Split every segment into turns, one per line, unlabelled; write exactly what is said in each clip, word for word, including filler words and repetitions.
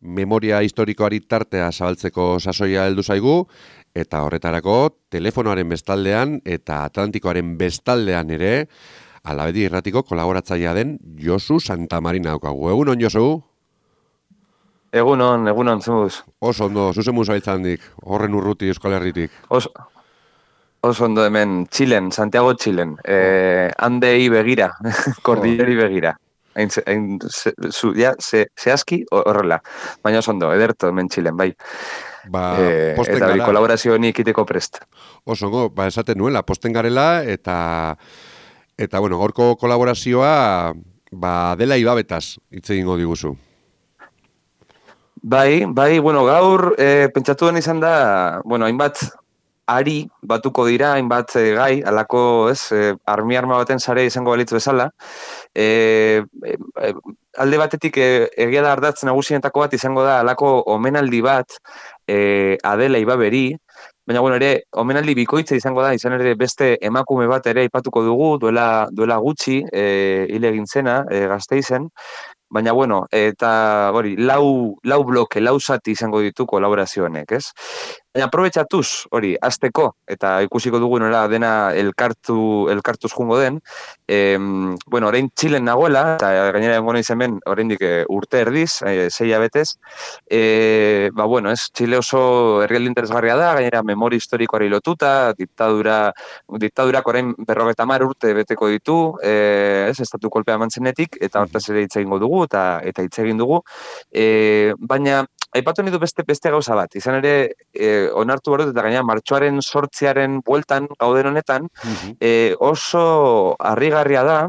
memoria historikoari tartea zabaltzeko sasoia heldu zaigu, eta horretarako telefonoaren bestaldean eta Atlantikoaren bestaldean ere, Alabedi Irratiko kolaboratzailea den Josu Santamarina daukagu. Egunon, Josu?
Egunon, egunon, zemuz.
Oso ondo, zuzen musa hiltzandik, horren urruti Euskal Herritik.
Oso, oso ondo hemen, Txilen, Santiago Txilen. Eh, handei begira, kordilleri begira. Hain, hain, ze, zu, ja, ze, zehazki horrela. Baina oso ondo, ederto hemen Txilen, bai.
Ba,
eh, eta hori kolaborazio honi ikiteko prest.
Oso ondo, ba, esaten nuela, posten garela, eta, eta bueno, gorko kolaborazioa, ba, dela ibabetaz, hitz egingo diguzu.
Bai, bai, bueno, gaur, e, pentsatu den izan da, bueno, hainbat ari batuko dira, hainbat e, gai, alako, ez, e, armi arma baten sare izango balitzu bezala. E, e, alde batetik, e, egia da ardatz nagusienetako bat izango da, alako omenaldi bat, e, Adela Ibaberi, baina, bueno, ere, omenaldi bikoitza izango da, izan ere beste emakume bat ere aipatuko dugu, duela, duela gutxi, e, hile egin zena, e, Gasteizen. Baina, bueno, eta hori, lau, lau bloke, lau zati izango ditu kolaborazio honek, ez? Baina, aprobetxatuz, hori, azteko, eta ikusiko dugu nola dena elkartu, elkartuz jungo den, e, bueno, orain Txilen nagoela, eta gainera engo nahi hemen oraindik urte erdiz, e, sei abetez, e, ba, bueno, ez, Txile oso herrialde interesgarria da, gainera memori historikoari lotuta, diktadura, diktadurak orain berrogeta mar urte beteko ditu, e, ez, estatu kolpea mantzenetik, eta hortaz ere hitz egingo dugu, eta eta hitz egin dugu. E, baina, aipatu nahi du beste, beste gauza bat. Izan ere, e, onartu barut, eta gaina martxoaren sortziaren bueltan, gauden honetan, uh-huh. e, oso harrigarria da,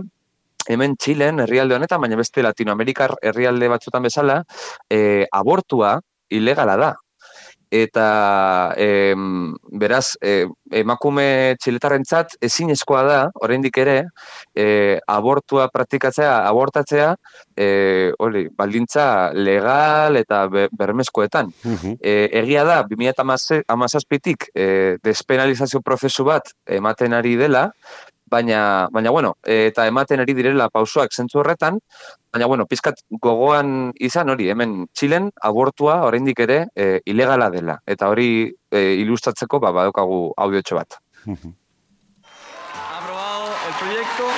hemen Txilen, herrialde honetan, baina beste Latinoamerikar herrialde batzutan bezala, e, abortua ilegala da. Eta e, beraz, e, emakume txiletarrentzat ezinezkoa da, oraindik ere, e, abortua praktikatzea, abortatzea, e, hori, baldintza legal eta be, bermezkoetan. Uh-huh. E, egia da, bi mila hamazazpitik e, despenalizazio prozesu bat ematen ari dela, baina, baina bueno, eta ematen ari direla pausoak zentzu horretan, baina, bueno, pizkat gogoan izan hori, hemen Txilen abortua oraindik ere e, ilegala dela. Eta hori e, ilustratzeko ba, badokagu audiotxo bat.
Aprobado el proyecto.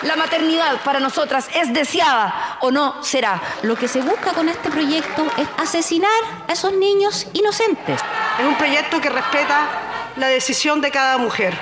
La maternidad para nosotras es deseada o no será.
Lo que se busca con este proyecto es asesinar a esos niños inocentes.
Es un proyecto que respeta la decisión de cada mujer.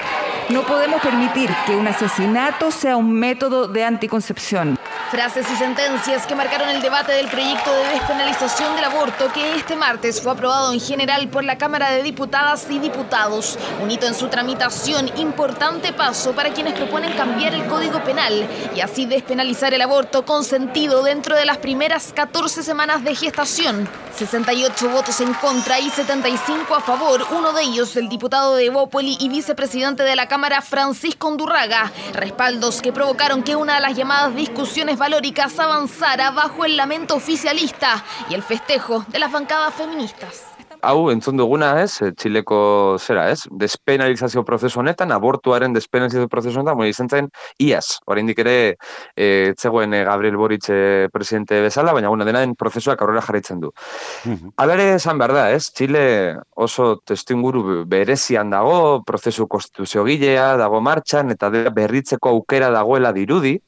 No podemos permitir que un asesinato sea un método de anticoncepción.
Frases y sentencias que marcaron el debate del proyecto de despenalización del aborto que este martes fue aprobado en general por la Cámara de Diputadas y Diputados. Un hito en su tramitación, importante paso para quienes proponen cambiar el Código Penal y así despenalizar el aborto consentido dentro de las primeras catorce semanas de gestación. sesenta y ocho votos en contra y setenta y cinco a favor, uno de ellos el diputado de Evópoli y vicepresidente de la Cámara, Francisco Undurraga. Respaldos que provocaron que una de las llamadas discusiones valóricas avanzara bajo el lamento oficialista y el festejo de las bancadas feministas.
Hau, entzun duguna, ez, Txileko zera, ez, despenalizazio prozesu honetan, abortuaren despenalizazio prozesu honetan, bueno, izan zen, iaz, oraindik ere, e, zegoen e, Gabriel Boric e, presidente bezala, baina, bueno, dena den prozesuak aurrera jarraitzen du. Uh-huh. Alare esan behar da, ez, Txile oso testuinguru berezian dago, prozesu konstituziogilea dago martxan, eta berritzeko aukera dagoela dirudi,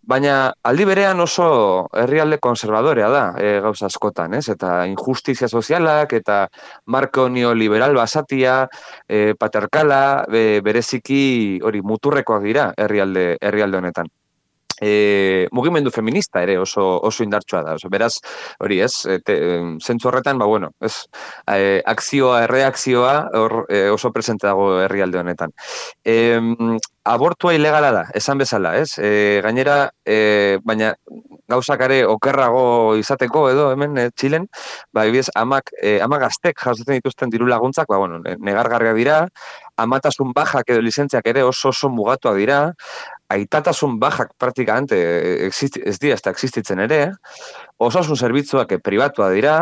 baina aldi berean oso herrialde konservadorea da e, gauza askotan, ez? Eta injustizia sozialak eta marko neoliberal basatia, e, patriarkala, e, bereziki hori muturrekoak dira herrialde herrialde honetan. E, mugimendu feminista ere oso oso indartsua da. Oso, beraz, hori, ez, zentzu horretan, ba bueno, ez, e, akzioa, erreakzioa hor, e, oso presente dago herrialde honetan. E, abortua ilegala da, esan bezala, ez? E, gainera, e, baina gauzak ere okerrago izateko edo hemen e, Txilen, ba, ebiz, amak, e, amak gaztek jasotzen dituzten diru laguntzak, ba, bueno, negargarria dira, amatasun bajak edo lizentziak ere oso oso mugatuak dira, aitatasun bajak praktikamente ez dira, ez da existitzen ere, osasun zerbitzuak pribatua dira,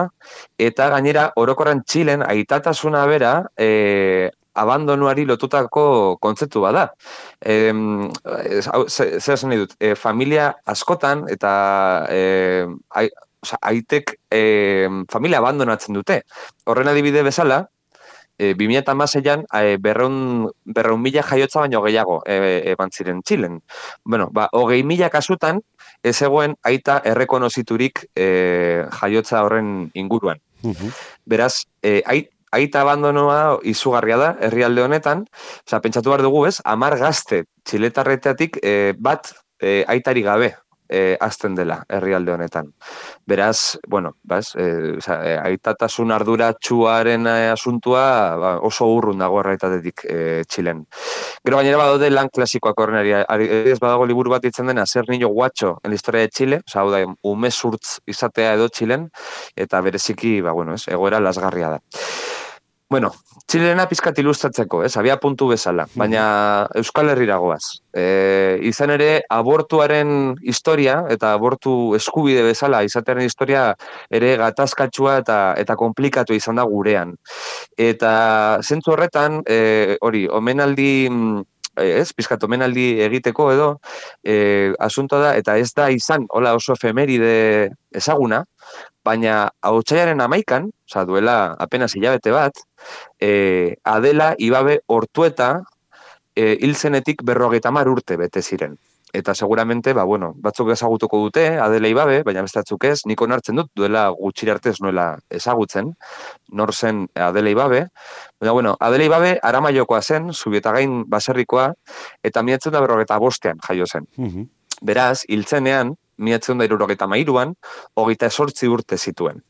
eta gainera orokorran Txilen aitatasuna bera e, abandonuari lotutako kontzeptu bada. E, zer esan nahi dut, e, familia askotan eta e, oza, aitek e, familia abandonatzen dute. Horren adibide bezala, E, bi mila hamaseian e, berreun, berreun mila jaiotza baino gehiago e, eban ziren Txilen. Bueno, ba, hogei mila kasutan ez egoen aita errekonoziturik e, jaiotza horren inguruan.
Uh-huh.
Beraz, e, ait, aita abandonoa izugarria da herrialde honetan, oza, pentsatu behar dugu ez, amar gazte txiletarreteatik e, bat e, aitari gabe E, azten dela herrialde honetan. Beraz, bueno, baz, e, oza, e, aitatasun arduratsuaren e, asuntua ba, oso urrun dago erraitatetik e, Txilen. Gero gainera badaude lan klasikoak horrenari, ez badago liburu bat ditzen dena, Ser niño guacho en la historia de Chile, oza, hau da, umezurtz izatea edo Txilen, eta bereziki, ba, bueno, ez, egoera lasgarria da. Bueno, Txilena pizkat ilustratzeko, ez, abia puntu bezala, baina Euskal Herrira goaz. E, izan ere, abortuaren historia eta abortu eskubide bezala izatearen historia ere gatazkatsua eta eta komplikatu izan da gurean. Eta zentzu horretan, e, hori, omenaldi ez, pizkat omenaldi egiteko edo, e, asuntoa da, eta ez da izan, hola oso efemeride ezaguna, baina otsailaren amaikan, oza, duela apenas hilabete bat, e, Adela Ibabe Ortueta e, hil zenetik berrogeita hamar urte bete ziren. Eta seguramente, ba, bueno, batzuk ezagutuko dute, Adela Ibabe, baina bestatzuk ez, nik onartzen dut, duela gutxira arte ez nuela ezagutzen, nor zen Adela Ibabe. Baina, bueno, Adela Ibabe Aramaiokoa zen, Zubietagain baserrikoa, eta miratzen da berrogeita bostean jaio zen.
Uh-huh.
Beraz, hiltzenean, miratzen da hirurogeita hamairuan, hogeita esortzi urte zituen.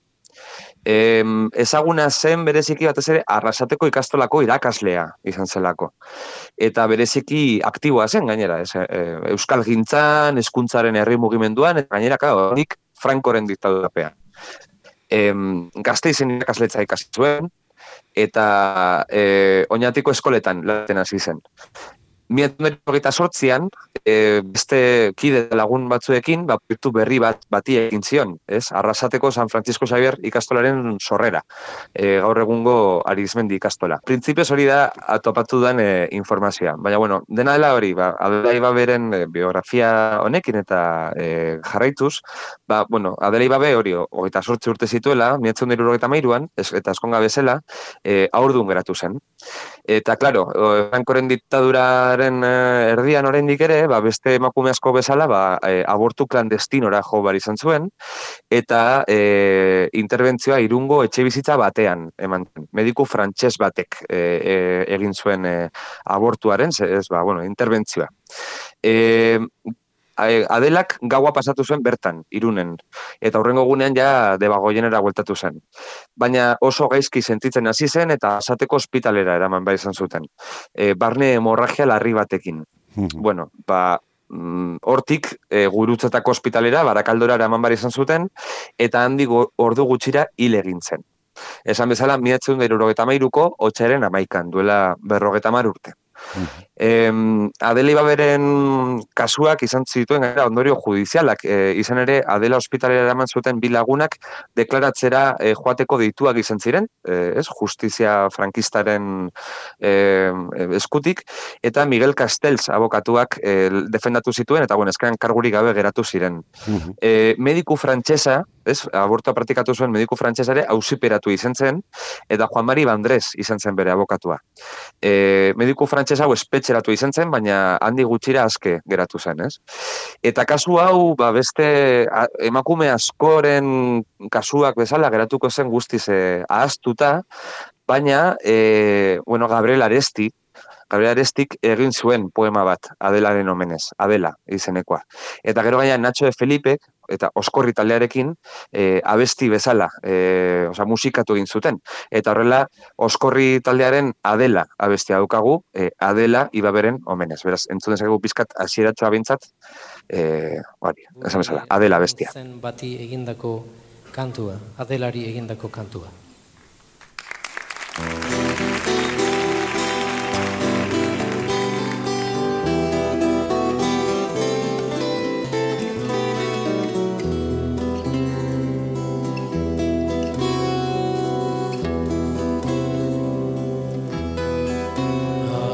E, ezaguna zen bereziki batez ere Arrasateko ikastolako irakaslea izan zelako. Eta bereziki aktiboa zen gainera, ez, e, Euskal Gintzan, hezkuntzaren herri mugimenduan, eta gainera, horik Frankoren diktadurapean. E, Gasteizen irakasletza ikasi zuen, eta e, Oñatiko eskoletan laten hasi zen. Miratzen hogeita sortzian, e, beste kide lagun batzuekin, ba, proiektu berri bat bati egin zion, ez? Arrasateko San Francisco Xavier ikastolaren sorrera, e, gaur egungo Arizmendi ikastola. Printzipioz hori da atopatu den e, informazioa. Baina, bueno, dena dela hori, ba, Adela Ibaberen e, biografia honekin eta e, jarraituz, ba, bueno, Adela Ibabe hori hogeita sortzi urte zituela, miratzen dira hogeita hamairuan, eta eskonga bezala, e, haurdun geratu zen. Eta, klaro, Frankoren diktaduraren erdian oraindik ere, ba, beste emakume asko bezala, ba, e, abortu klandestinora jo bar izan zuen, eta e, interbentzioa Irungo etxe bizitza batean eman zen. Mediku frantses batek e, e, egin zuen e, abortuaren, ez, ba, bueno, interbentzioa. E, Adelak gaua pasatu zuen bertan, Irunen, eta hurrengo gunean ja Debagoienera bueltatu zen. Baina oso gaizki sentitzen hasi zen eta Arrasateko ospitalera eraman bai izan zuten. E, barne hemorragia larri batekin. Bueno, ba, hortik e, Gurutzetako ospitalera, Barakaldora eraman bai izan zuten, eta handik ordu gutxira hil egin zen. Esan bezala, miratzen dira hirurogeita hamairuko otsailaren amaikan, duela berrogeita hamar urte. Eh, Adela Ibaberen kasuak izan zituen gara ondorio judizialak, eh, izan ere Adela ospitalera eraman zuten bi lagunak deklaratzera eh, joateko deituak izan ziren, eh, ez, justizia frankistaren eh, eskutik, eta Miguel Castells abokatuak eh, defendatu zituen, eta bueno, ezkeran kargurik gabe geratu ziren. Uh-huh. eh, mediku frantsesa, ez, abortua praktikatu zuen mediku frantsesare auziperatu izan zen, eta Juan Mari Bandrés izan zen bere abokatua. Eh, mediku frantses hau espetxeratu izan zen, baina handi gutxira aske geratu zen, ez? Eta kasu hau, ba, beste a, emakume askoren kasuak bezala geratuko zen guztiz eh, ahaztuta, baina, eh, bueno, Gabriel Aresti, Gabriel Arestik egin zuen poema bat, Adelaren omenez, Adela izenekoa. Eta gero gaina Nacho de Felipek, eta Oskorri taldearekin, e, abesti bezala, e, oza, musikatu egin zuten. Eta horrela, Oskorri taldearen Adela abestia daukagu, e, Adela Ibaberen omenez. Beraz, entzun dezakegu pizkat hasieratxoa bintzat, e, bari, esan bezala, Adela abestia.
Zen bati egindako kantua, Adelari egindako kantua.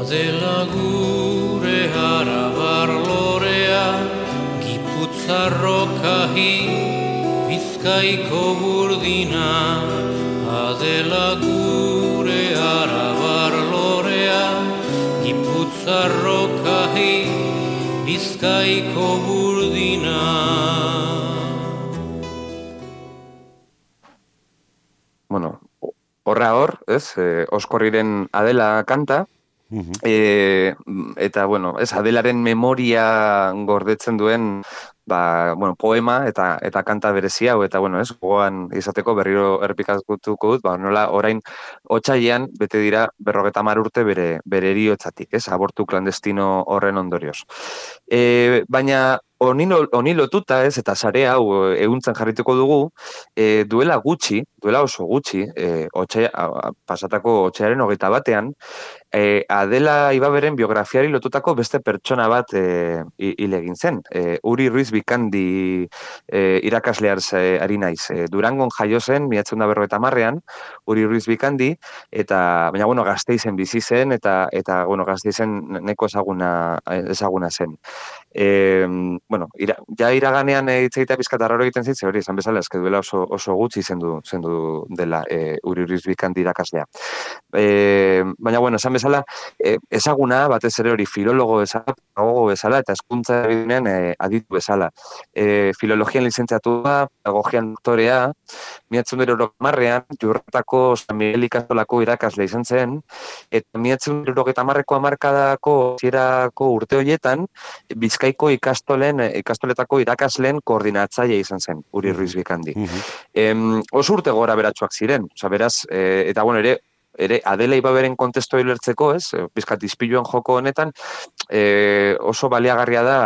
Adela gure arabar lorea, Gipuzarro kahi, Bizkaiko burdina, Adela gure arabar lorea, Gipuzarrokahi, Bizkaiko burdina.
Bueno, horra hor, ez, eh, Oskorriren Adela kanta,
Mhm.
e, eta, bueno, ez, Adelaren memoria gordetzen duen, ba, bueno, poema eta eta kanta berezi hau, eta, bueno, ez, gogoan izateko berriro errepikatuko dut, ba, nola orain otsailean bete dira berrogeta hamar urte bere, bere heriotzatik, ez, abortu klandestino horren ondorioz. E, baina, Honi honi lotuta, ez, eta sare hau ehuntzen jarrituko dugu, e, duela gutxi, duela oso gutxi, e, otxe, a, pasatako otxearen hogeita batean, e, Adela Ibaberen biografiari lotutako beste pertsona bat e, hil egin zen. E, Uri Ruiz Bikandi e, irakasleaz e, ari naiz. E, Durangon jaio zen, mila bederatziehun eta berrogeita hamarrean, Uri Ruiz Bikandi, eta, baina, bueno, Gasteizen bizi zen, eta, eta bueno, Gasteizen neko ezaguna, ezaguna zen. E, bueno, ira, ja iraganean hitz egitea pizkat arraro egiten zitze, hori, esan bezala, eske duela oso, oso gutxi zendu, zendu dela e, Uri Ruiz Bikandi irakaslea. E, baina, bueno, esan bezala, e, ezaguna, batez ere hori filologo bezala, pedagogo bezala, eta hezkuntza eginean e, aditu bezala. E, filologian lizentziatua, pedagogian doktorea, mila bederatziehun eta hirurogeita hamarrean, Jurretako San Miguel ikastolako irakasle izan zen, eta mila bederatziehun eta hirurogeita hamarreko hamarkadako hasierako urte horietan, Bizkaiko ikastolen, ikastoletako irakasleen koordinatzaile izan zen, Uri Ruiz Bikandi. Em, oso urte gora beratxoak ziren, oza, beraz, e, eta bueno, ere, ere Adela Ibaberen kontestoa ulertzeko, ez, pizkat izpiluan joko honetan, e, oso baliagarria da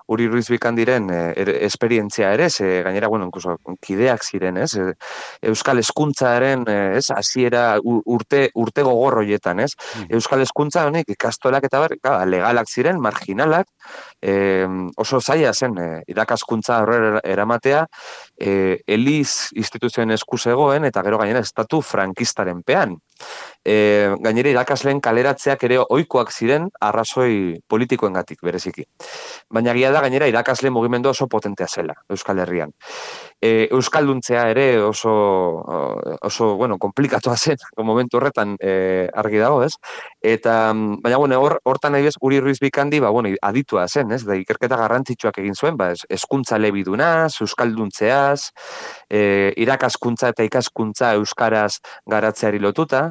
Uri Ruiz Bikandiren e, er, esperientzia ere, ez, e, gainera, bueno, incluso, kideak ziren, ez, e, Euskal Hezkuntzaren, ez, hasiera urte, urte gogor horietan, ez, Euskal Hezkuntza honek ikastolak eta bar, ka, legalak ziren, marginalak, e, oso zaila zen, e, irakaskuntza horrela eramatea, e, Eliz instituzioen esku zegoen, eta gero gainera estatu frankistaren pean. E, gainera irakasleen kaleratzeak ere ohikoak ziren arrazoi politikoengatik bereziki. Baina egia da gainera irakasle mugimendu oso potentea zela Euskal Herrian. E, Euskalduntzea ere oso, oso bueno, komplikatua zen momentu horretan e, argi dago, ez? Eta, baina, bueno, hor, hortan nahi bez, Uri Ruiz Bikandi, ba, bueno, aditua zen, ez? Da, ikerketa garrantzitsuak egin zuen, ba, eskuntza elebidunaz, euskalduntzeaz, e, irakaskuntza eta ikaskuntza euskaraz garatzeari lotuta,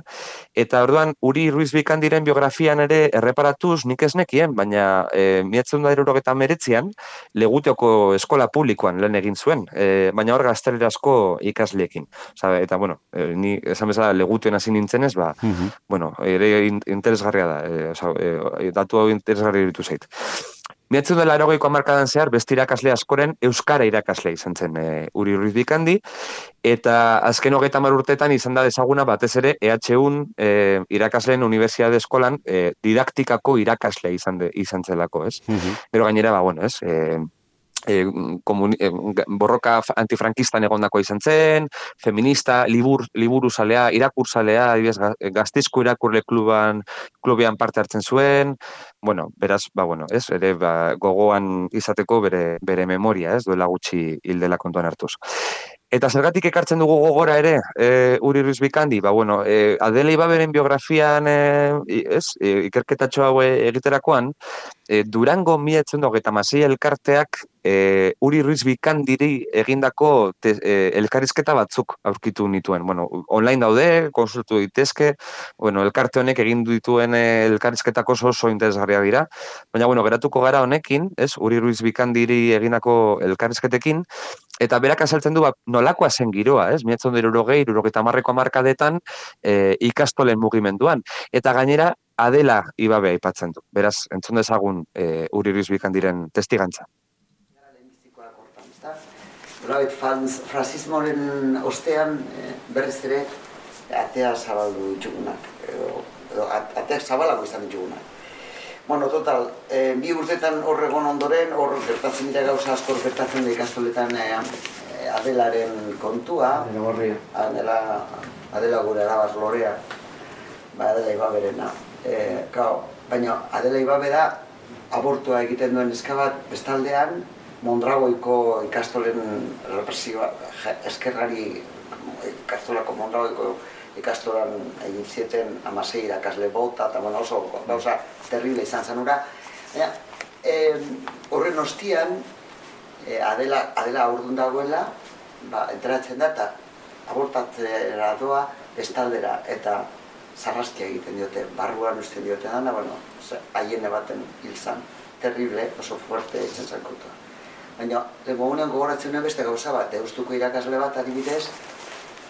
eta orduan, Uri Ruiz Bikandiren biografian ere erreparatuz nik ez nekien, baina e, mila bederatziehun eta hirurogeita hemeretzian Legutioko eskola publikoan lan egin zuen, e, baina hor gaztelerazko ikasleekin. Osa, eta, bueno, e, ni esan bezala Legutioen hasi nintzenez, ba, uh-huh. bueno, ere interesgarria da, e, osa, e, datu hau interesgarria iritu zait. mila bederatziehun eta laurogeiko hamarkadan zehar, beste irakasle askoren euskara irakasle izan zen e, Uri Ruiz Bikandi, eta azken hogeita hamar urteetan izan da ezaguna batez ere E H Un e, irakasleen Unibertsitate Eskolan e, didaktikako irakasle izan, de, izan zelako, ez? Uh-huh. Pero gainera, ba, bueno, ez? E, E, komuni, e, borroka antifrankistan egondako izan zen, feminista, libur, liburuzalea, irakurzalea, Gasteizko irakurle kluban, klubian parte hartzen zuen, bueno, beraz, ba, bueno, ez, ere, ba, gogoan izateko bere, bere memoria, ez, duela gutxi hildela kontuan hartuz. Eta zergatik ekartzen dugu gogora ere, e, Uri Ruiz Bikandi, ba, bueno, e, Adela Ibaberen biografian, e, ez, e, ikerketatxo hau egiterakoan, e, Durango mila bederatziehun eta hogeita hamasei elkarteak e, Uri Ruiz Bikandiri egindako te, e, elkarrizketa batzuk aurkitu nituen. Bueno, online daude, konsultu daitezke, bueno, elkarte honek egin dituen elkarrizketako oso oso interesgarriak dira, baina, bueno, geratuko gara honekin, ez, Uri Ruiz Bikandiri egindako elkarrizketekin, eta berak azaltzen du, ba, nolakoa zen giroa, ez? mila bederatziehun eta hirurogei, hirurogeita hamarreko hamarkadetan e, ikastolen mugimenduan. Eta gainera, Adela Ibabe aipatzen du. Beraz, entzun dezagun e, Uri Ruiz Bikandiren testigantza.
Nolabait, fransismoren ostean berriz ere atea zabaldu ditugunak, edo, edo ateak zabalako izan ditugunak. Bueno, total, e, bi urtetan horregon ondoren, hor gertatzen dira gauza askor gertatzen da ikastoletan e, Adelaren kontua. Adela gorria. Adela, Adela gure arabaz lorea, ba, Adela Ibaberena. E, kao, baina Adela Ibabe da abortua egiten duen eska bat bestaldean, Mondragoiko ikastolen represioa, eskerrari ikastolako Mondragoiko ikastolan egin zieten amasei irakasle bota, eta bueno, oso gauza terrible izan zanura. Horren ostian, Adela, Adela aurdun dagoela, ba, enteratzen da, eta abortatzera doa bestaldera, eta zarraskia egiten diote, barruan usten diote dana, bueno, haien baten hil zan, terrible, oso fuerte egiten zankutua. Baina, lehenko gogoratzen nuen beste gauza bat, Deustuko irakasle bat adibidez,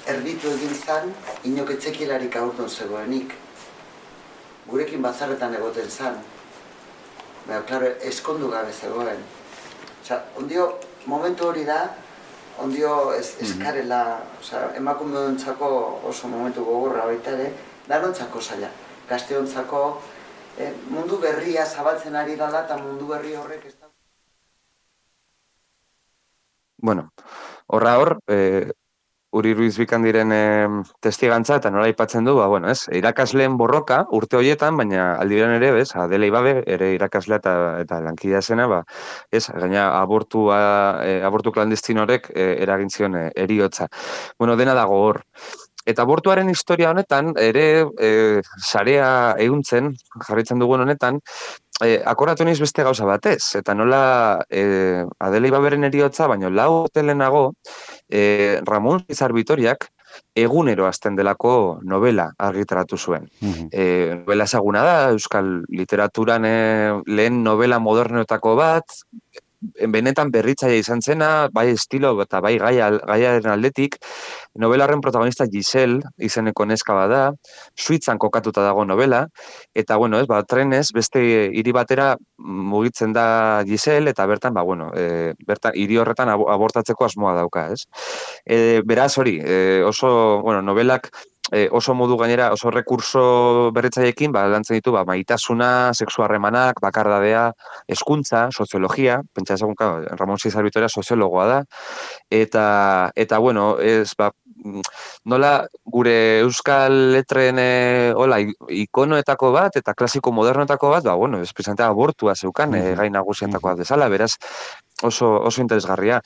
erditu egin zan, inok etzekielarik aurton zegoenik. Gurekin batzarretan egoten zan. Baina, klaro, eskondu gabe zegoen. Osa, ondio, momentu hori da, ondio eskarela, osa, emakumeontzako oso momentu gogorra baita ere, danontzako zaila. Gazteontzako mundu berria zabaltzen ari dala, eta mundu berri horrek ez da.
Bueno, horra hor, e, Uri Ruiz Bikandiren e, testigantza eta nola aipatzen du, ba, bueno, ez, irakasleen borroka urte horietan, baina aldiberan ere, bez, Adela Ibabe, ere irakaslea eta, eta lankidea zena, ba, ez, gaina abortua, e, abortu klandestin horrek e, eragin zion e, eriotza. Bueno, dena dago hor. Eta abortuaren historia honetan, ere, e, sarea ehuntzen, jarraitzen dugun honetan, E, akoratu niz beste gauza batez, eta nola e, Adela Ibaberen eriotza, baina lau urte lehenago, e, Ramon Izar Bitoriak egunero hasten delako novela argitaratu zuen. Mm-hmm. e, novela ezaguna da, euskal literaturan e, lehen novela modernoetako bat, benetan berritzaia izan zena, bai estilo eta bai gaiaren aldetik, novelaren protagonista Giselle izeneko neska bada, Suitzan kokatuta dago novela, eta bueno, ez, ba, trenez beste hiri batera mugitzen da Giselle, eta bertan, ba, bueno, e, bertan hiri horretan abortatzeko asmoa dauka, ez? E, beraz hori, e, oso, bueno, novelak E, oso modu gainera, oso rekurso berritzailekin, ba, lantzen ditu, ba, maitasuna, sexu harremanak, bakardadea, hezkuntza, soziologia, pentsa ezagun, Ramon Izar Bitoria soziologoa da, eta, eta bueno, ez, ba, nola gure euskal letren e, hola, ikonoetako bat, eta klasiko modernoetako bat, ba, bueno, ez presentea abortua zeukan, mm-hmm. e, gai nagusietakoa desala, beraz, oso, oso interesgarria.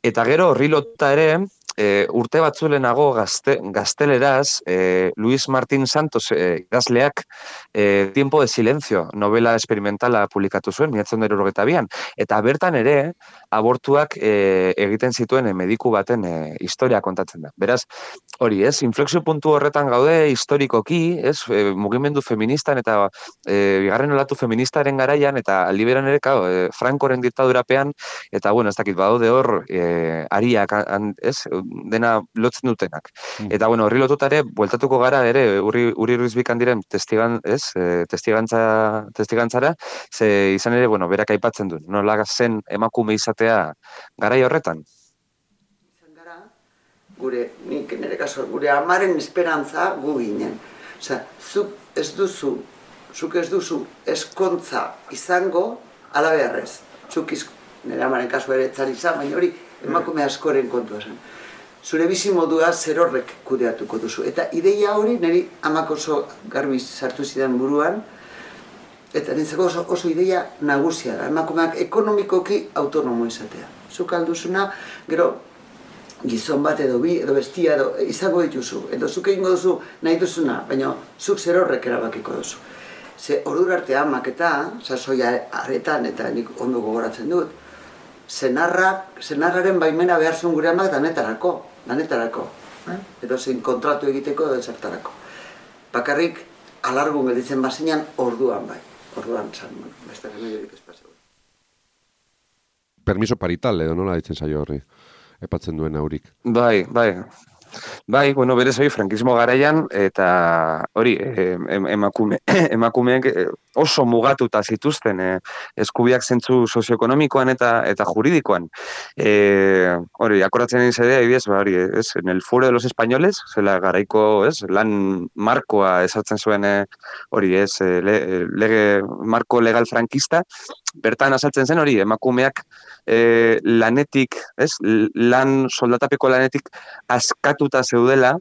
Eta gero, horri lotuta ere, E, urte batzulenago gazte, gazteleraz, e, Luis Martín Santos e, idazleak e, Tiempo de Silencio, novela experimentala publikatu zuen, mila bederatziehun eta hirurogeita bian, eta bertan ere abortuak e, egiten zituen e, mediku baten e, historia kontatzen da. Beraz, hori, ez, inflexio puntu horretan gaude historikoki, ez, e, mugimendu feministan eta e, bigarren olatu feministaren garaian, eta aldiberan ere, kao, e, Frankoren diktadurapean, eta, bueno, ez dakit, badaude hor, e, ariak, an, ez, dena lotzen dutenak. Mm. Eta, bueno, horri lotutare, bueltatuko gara ere, Uri, Uri Ruiz Bikandiren testigan, ez, e, testigantza, testigantzara, ze izan ere, bueno, berak aipatzen du, nola zen emakume izatea garai horretan?
Izan gara, gure, nik nire kaso, gure amaren esperantza gu ginen. Osea, zuk ez duzu, zuk ez duzu eskontza izango ala beharrez. Zuk iz, nire amaren kaso ere etzari izan, baina hori emakume askoren kontua zen. Zure bizi modua zer horrek kudeatuko duzu. Eta ideia hori niri amak oso garbi sartu zidan buruan, eta nintzako oso, oso ideia nagusia da. Emakumeak ekonomikoki autonomo izatea. Zuk alduzuna, gero gizon bat edo bi, edo bestia edo izango dituzu. Edo zuk egingo duzu nahi duzuna, baina zuk zer horrek erabakiko duzu. Ze ordura arte amak eta, sasoia aretan eta nik ondo gogoratzen dut, Senarrak, senarraren baimena behar zuen gure amak danetarako, danetarako. Eh? Edo zein kontratu egiteko edo ezertarako. Bakarrik alargun gelditzen bazinean orduan bai. Orduan zan, bueno, beste remediorik ez paseu.
Permiso parital edo nola ditzen zaio horri, epatzen duen aurik.
Bai, bai. Bai, bueno, berez hori frankismo garaian, eta hori, emakume, emakumeek oso mugatuta zituzten eh, eskubiak zentzu sozioekonomikoan eta eta juridikoan. Eh, hori, akoratzen egin zedea, ibidez, ba, hori, ez, en el Foro de los Españoles, zela garaiko, ez, lan markoa esartzen zuen, eh, hori, ez, le, lege, marko legal frankista, bertan azaltzen zen hori, emakumeak eh, lanetik, ez, lan soldatapeko lanetik askatuta zeudela,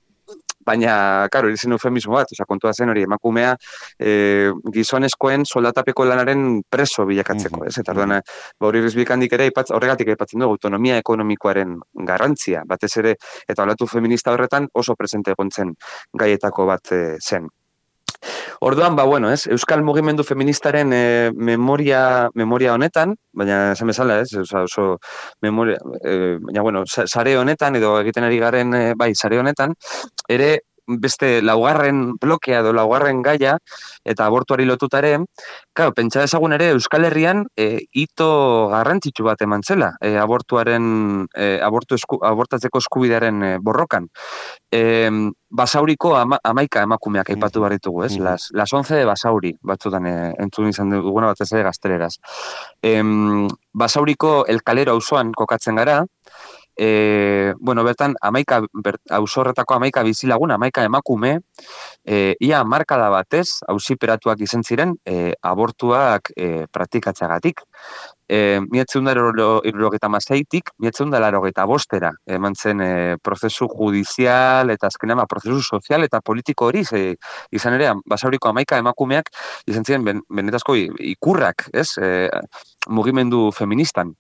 baina, karo, irizien eufemismo bat, oza, kontua zen hori, emakumea e, gizonezkoen soldatapeko lanaren preso bilakatzeko, ez? Eta orduan, ba, hori bizbikandik ere, ipatz, horregatik aipatzen dugu, autonomia ekonomikoaren garrantzia, batez ere, eta olatu feminista horretan oso presente egontzen gaietako bat e, zen. Orduan, ba, bueno, ez, Euskal Mugimendu Feministaren e, memoria, memoria honetan, baina esan bezala, ez, oso, oso memoria, e, baina, bueno, sare honetan, edo egiten ari garen, e, bai, sare honetan, ere, beste laugarren blokea edo laugarren gaia, eta abortuari lotutare, claro, pentsa dezagun ere Euskal Herrian e, hito garrantzitsu bat eman zela, e, abortuaren, e, abortu esku, abortatzeko eskubidearen e, borrokan. E, Basauriko ama, amaika emakumeak aipatu behar ditugu, ez? Las, las once de Basauri, batzutan e, entzun izan duguna batez ere gazteleraz. E, Basauriko El Calero auzoan kokatzen gara, E, bueno, bertan, amaika, ber, ausorretako amaika bizilagun, amaika emakume, e, ia markada batez, auziperatuak izan ziren, e, abortuak e, praktikatzagatik. E, mietzen da irurogeta mazeitik, mietzen da larogeta bostera, eman zen e, prozesu judizial, eta azkenean, prozesu sozial eta politiko hori, ze, izan ere, Basauriko amaika emakumeak, izan ziren, ben, benetazko ikurrak, ez, e, mugimendu feministan.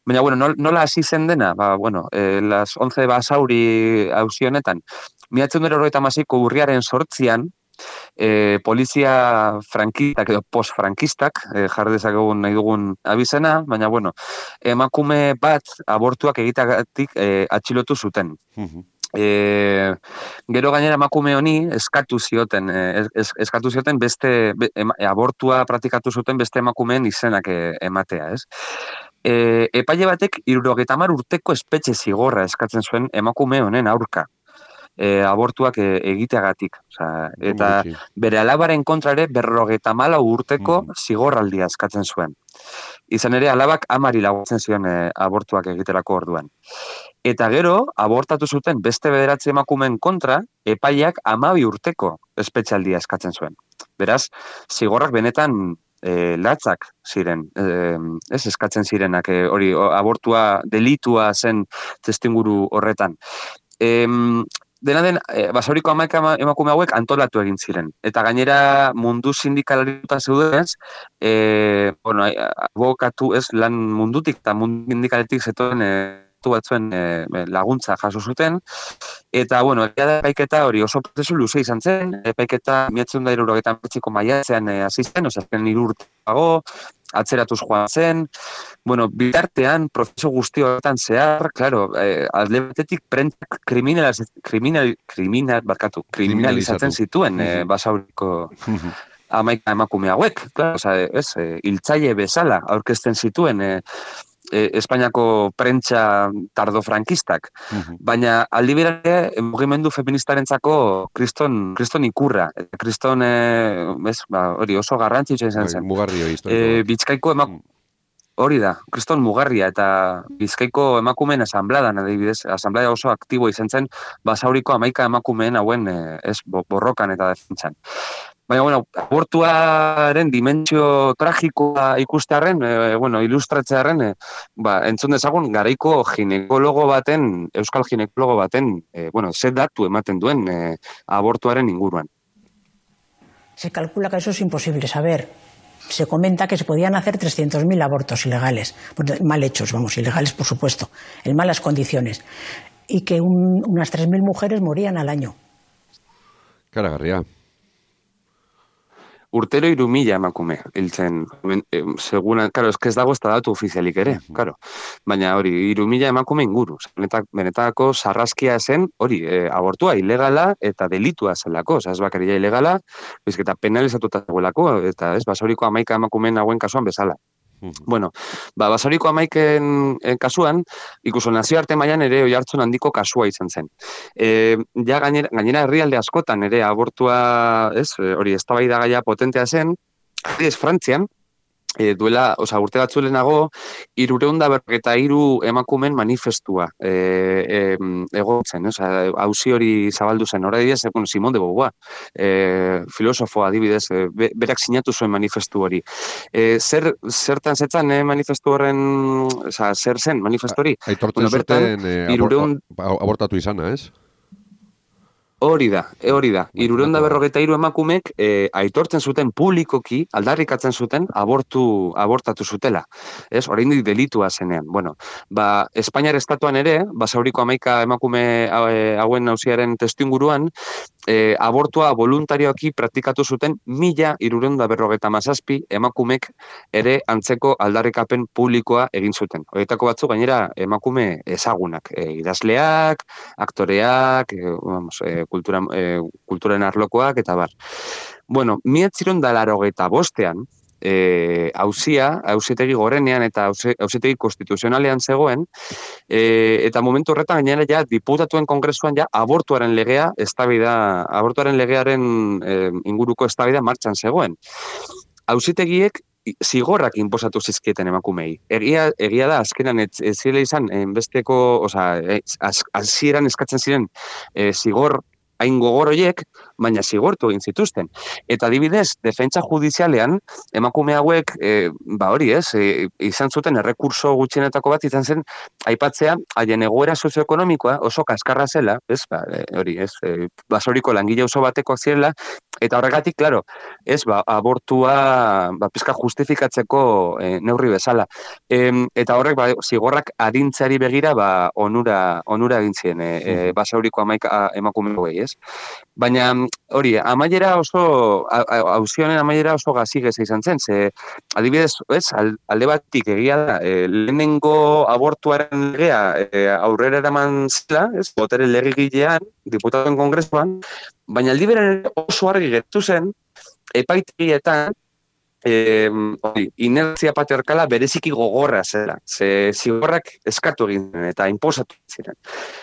Baina, bueno, nola hasi zen dena? Ba, bueno, eh, las once Basauri auzi honetan, miratzen dut horreta maziko urriaren sortzian, eh, polizia frankistak edo post-frankistak, eh, jar dezakegun nahi dugun abizena, baina, bueno, emakume bat abortuak egitagatik eh, atxilotu zuten. E, gero gainera emakume honi eskatu zioten, es, eskatu zioten beste, be, ema, abortua praktikatu zuten beste emakumeen izenak e, ematea, ez? E, epaile batek hirurogeita hamar urteko espetxe zigorra eskatzen zuen emakume honen aurka. E, abortuak e, egiteagatik. Osea, eta bere alabaren kontra ere berrogeita hamalau urteko zigorraldia eskatzen zuen. Izan ere, alabak amari laguntzen zion e, abortuak egiterako orduan. Eta gero, abortatu zuten beste bederatzi emakumeen kontra, epaileak hamabi urteko espetxaldia eskatzen zuen. Beraz, zigorrak benetan e, latzak ziren, e, ez eskatzen zirenak, e, hori abortua delitua zen testinguru horretan. E, dena den, e, Basauriko hamaika emakume hauek antolatu egin ziren. Eta gainera mundu sindikalariuta zeudenez, e, bueno, abokatu ez lan mundutik eta mundu sindikaletik zetoen e, batzuen e, laguntza jaso zuten, eta, bueno, epaiketa hori oso prozesu luze izan zen, epaiketa mietzen da hirurogeita hemeretziko maiatzean hasi zen, ozen hiru urteago, atzeratuz joan zen, bueno, bitartean, prozesu guzti horretan zehar, claro, eh, alde batetik prentzak kriminal, kriminal, kriminal, barkatu, kriminalizatzen zituen eh, Basauriko hamaika emakume hauek, claro, oza, ez, eh, hiltzaile bezala aurkezten zituen, eh, Espainiako prentsa tardofrankistak, uh-huh. Baina aldi berare mugimendu feministarentzako kriston, kriston ikurra, kriston eh, ez, ba, hori oso garrantzitsua izan zen.
Mugarri hori
eh, Bizkaiko emak... Hori da, kriston mugarria, eta Bizkaiko emakumeen asambladan, adibidez, asamblea oso aktibo izan zen, Basauriko hamaika emakumeen hauen eh, ez, borrokan eta defentsan. Baina, bueno, abortuaren dimentsio tragikoa ikustearen, e, bueno, ilustratzearen, e, ba, entzun dezagun, garaiko ginekologo baten, euskal ginekologo baten, e, bueno, ze datu ematen duen e, abortuaren inguruan.
Se calcula que eso es imposible saber. Se comenta que se podían hacer trescientos mil abortos ilegales, mal hechos, vamos, ilegales por supuesto, en malas condiciones, y que un, unas tres mil mujeres morían al año.
Karagarria.
Urtero hiru mila emakume, hiltzen, seguna, karo, ez ez dago ez da datu ofizialik ere, karo. Baina hori, hiru mila emakume inguru. Benetako sarraskia zen, hori, e, abortua ilegala eta delitua zelako, oza, ez bakaria ilegala, bizketa penalizatuta zegoelako, eta ez, Basauriko hamaika emakumeen hauen kasuan bezala. Bueno, ba, Basauriko hamaiken kasuan, ikuso nazioarte mailan ere oihartzun handiko kasua izan zen. E, ja gainera, gainera herrialde askotan ere abortua, ez, hori eztabaida gaia potentea zen, ez Frantzian, e, duela, oza, urte batzu lehenago, hirureun da berrogeita hiru emakumen manifestua e, e, egotzen, oza, auzi hori zabaldu zen, hori dira, bueno, Simone de Beauvoir, e, filosofo adibidez, e, berak sinatu zuen manifestu hori. E, zer, zertan zetzan eh, manifestu horren, oza, zer zen manifestu hori?
Aitortzen bueno, zuten eh, hirureun... abortatu izana, ez?
Hori da, e hori da. Hirurehun eta berrogeita hiru emakumek e, aitortzen zuten publikoki, aldarrikatzen zuten, abortu, abortatu zutela. Ez, oraindik delitua zenean. Bueno, ba, Espainiar estatuan ere, Basauriko hamaika emakume hauen auziaren testuinguruan, e, abortua voluntarioki praktikatu zuten mila hirurehun eta berrogeita hamazazpi emakumek ere antzeko aldarrikapen publikoa egin zuten. Horietako batzuk gainera emakume ezagunak, e, idazleak, aktoreak, e, vamos, e, kultura, e, kulturen arlokoak, eta bar. Bueno, mila bederatziehun eta laurogeita bostean, e, auzia, auzitegi gorenean eta auzitegi konstituzionalean zegoen, e, eta momentu horretan gainera ja diputatuen kongresuan ja abortuaren legea, eztabaida, abortuaren legearen e, inguruko eztabaida martxan zegoen. Auzitegiek zigorrak inposatu zizkieten emakumei. Egia, egia da, azkenan ez, ez zile izan, besteko, oza, hasieran eskatzen ziren e, zigor hain gogor horiek, baina zigortu egin zituzten. Eta adibidez, defentsa judizialean, emakume hauek, e, ba hori ez, e, izan zuten errekurso gutxienetako bat, izan zen, aipatzea, haien egoera sozioekonomikoa oso kaskarra zela, ez, ba, e, hori ez, e, Basauriko langile oso batekoak zirela, eta horregatik, claro, ez, ba, abortua, ba, pizka justifikatzeko e, neurri bezala. E, eta horrek, ba, zigorrak adintzeari begira, ba, onura, onura egin ziren, e, e, Basauriko hamaika emakume hauei, ez? Baina, hori, amaiera oso, auzionen amaiera oso gazigeza izan zen, ze, adibidez, ez, alde batik egia da, e, lehenengo abortuaren legea e, aurrera eraman zela, ez, botere legegilean, diputatuen kongresuan, baina aldi beren oso argi gertu zen, epaitegietan, E, inertzia patriarkala bereziki gogorra zela, ze zigorrak eskatu egin ziren eta inposatu ziren.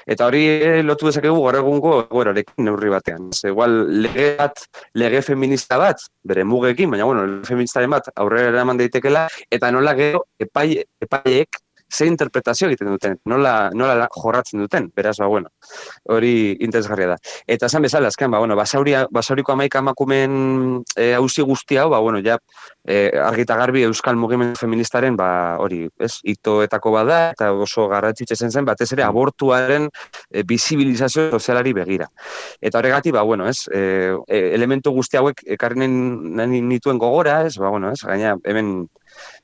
Eta hori lotu dezakegu gaur egungo egoerarekin neurri batean. Ze igual lege bat, lege feminista bat, bere mugekin, baina bueno, lege feministaren bat aurrera eraman daitekela, eta nola gero epai, epaiek ze interpretazio egiten duten, nola, nola jorratzen duten, beraz, ba, bueno, hori interesgarria da. Eta esan bezala, azken, ba, bueno, Basauria, Basauriko hamaika emakumeen e, auzi guzti hau, ba, bueno, ja, e, argita garbi euskal mugimendu feministaren, ba, hori, ez, hitoetako bada, eta oso garrantzitsu zen zen, batez ere abortuaren e, bizibilizazio sozialari begira. Eta horregatik, ba, bueno, ez, e, elementu guzti hauek ekarri nahi nituen gogora, ez, ba, bueno, ez, gaina, hemen,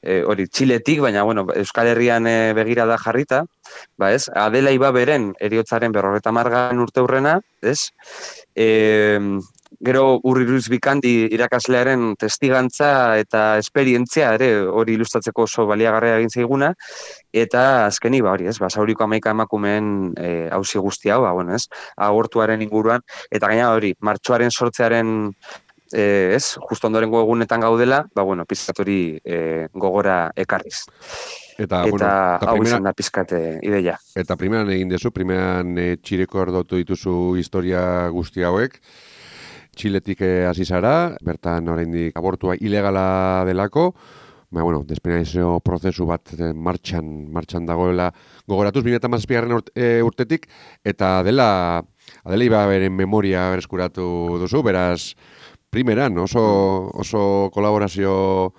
E, hori, Txiletik, baina, bueno, Euskal Herrian e, begira da jarrita, ba, ez, Adela Ibaberen eriotzaren berrogeta margan urte hurrena, ez, e, gero Urri Ruiz Bikandi irakaslearen testigantza eta esperientzia ere hori ilustratzeko oso baliagarria egin zaiguna, eta azkeni, ba, hori, ez, Basauriko hamaika emakumeen e, auzi guzti hau, ba, bueno, ez, abortuaren inguruan, eta gaina hori, martxoaren sortzearen Eh, ez, justo ondorengo egunetan gaudela, ba, bueno, pizkat hori eh, gogora ekarriz.
Eta,
eta
bueno, eta
hau
primera,
izan da pizkat ideia.
Eta primeran egin dezu, primeran e, Txileko erdotu dituzu historia guzti hauek, Txiletik hasi zara, bertan oraindik abortua ilegala delako, ba, bueno, despenalizazio prozesu bat martxan, martxan dagoela gogoratuz, bi mila hamazazpigarren urte, urtetik, eta dela, Adela Ibaberen memoria bereskuratu duzu, beraz, primeran, oso, oso kolaborazio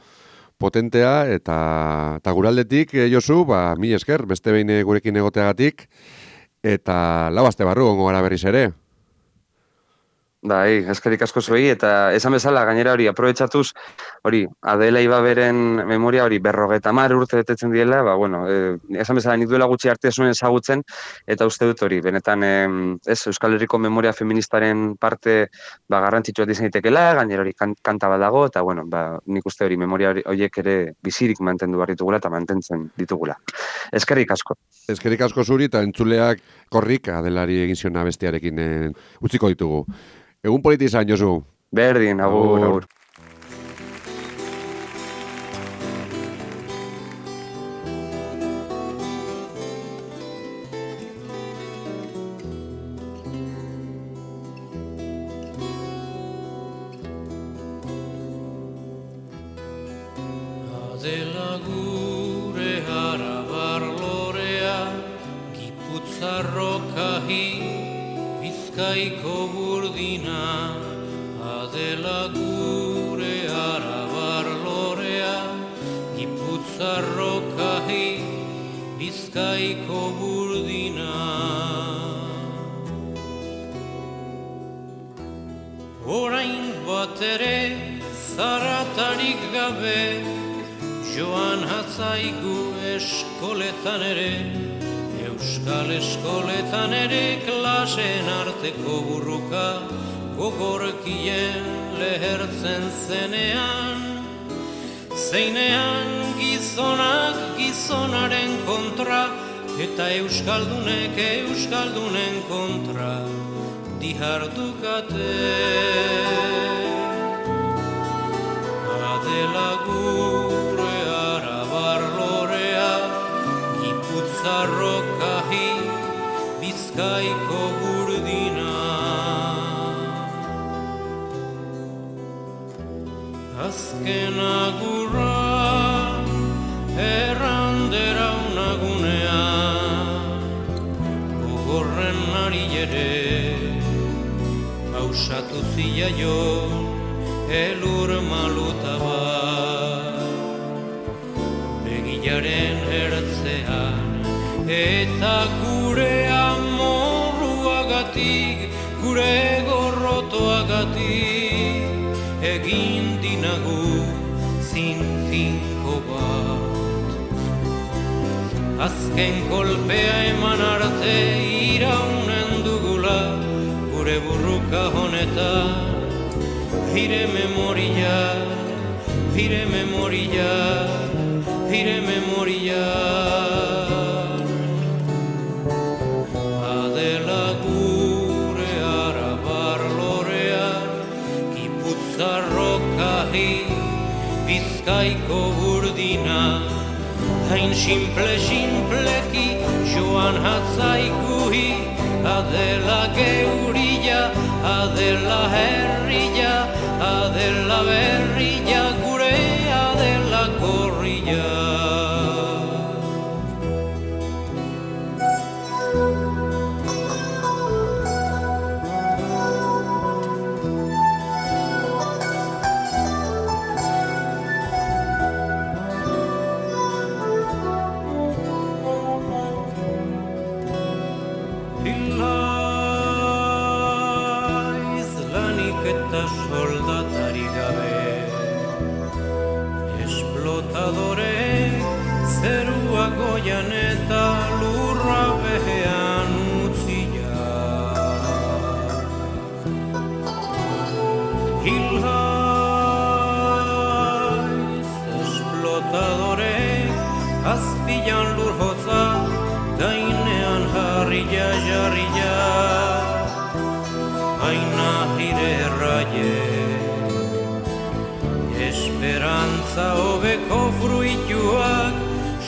potentea, eta, eta guraldetik, eh, Josu, ba, mi esker, beste behin gurekin egoteagatik, eta lau aste barru gongo gara berriz ere.
Bai, eskerik asko zuei, eta esan bezala gainera hori aprobetxatuz, hori, Adela Ibaberen memoria hori berrogeta mar urte betetzen diela, ba, bueno, e, esan bezala nik duela gutxi arte zuen ezagutzen, eta uste dut hori, benetan, e, ez, Euskal Herriko memoria feministaren parte, ba, garrantzitsua izan daitekela, gainera hori kan, kanta bat dago, eta, bueno, ba, nik uste hori memoria horiek ere bizirik mantendu behar ditugula, eta mantentzen ditugula. Eskerik asko.
Eskerik asko zuri, eta entzuleak korrik Adelari egin ziona bestiarekin e, utziko ditugu. Egun politi izan, Josu.
Berdin, agur, agur.
Adela gure arabar lorea, Giputzarrokahi, Bizkaiko burdina, Adela gure arabar lorea, Giputzarrokahi, Bizkaiko burdina. orain bat ere zaratarik gabe, joan hatzaigu eskoletan ere, euskal eskoletan ere klasen arteko burruka, gogorkien lehertzen zenean, zeinean gizonak gizonaren kontra, eta euskaldunek euskaldunen kontra dihardukate. Adela gure arabar lorea, Gipuzarrokahi Bizkaiko burdina. Azken agurra errandera unagunean, gogorren ari ere, hausatu ziaion elur maluta bat. Begilaren ertzean eta gure amorruagatik, gure gorrotoagatik, egin dinagu zinfinko bat. Azken kolpea eman arte iraunen dugula, gure burruka honetan, hire memoria, hire memoria, hire memoria. Adela gure arabar lorean, Gipuzarrokahi Bizkaiko burdina, hain simple-simpleki joan hatzaikuhi, Adela geurilla, Adela herrilla, Adela berrilla, gure Adela korrilla. Soldatari gabe, esplotadorek zerua goian eta lurra behean utzia. Hilhaiz esplotadorek azpilan lur hotza, gainean harria jarria. Aina hire erraie, esperantza hobeko fruituak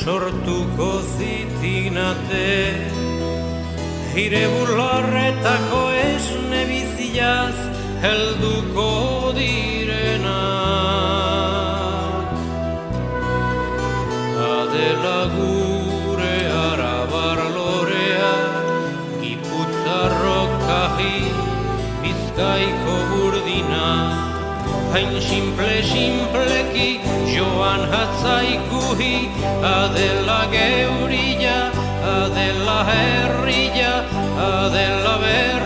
sortuko zitinate. Hire bularretako esne biziaz helduko direnak. Adela gure arabar lorea, Gipuzarrokahi Bizkaiko burdina, hain simple-simpleki joan hatzaikuhi, Adela geurilla, Adela herrilla, Adela berrilla.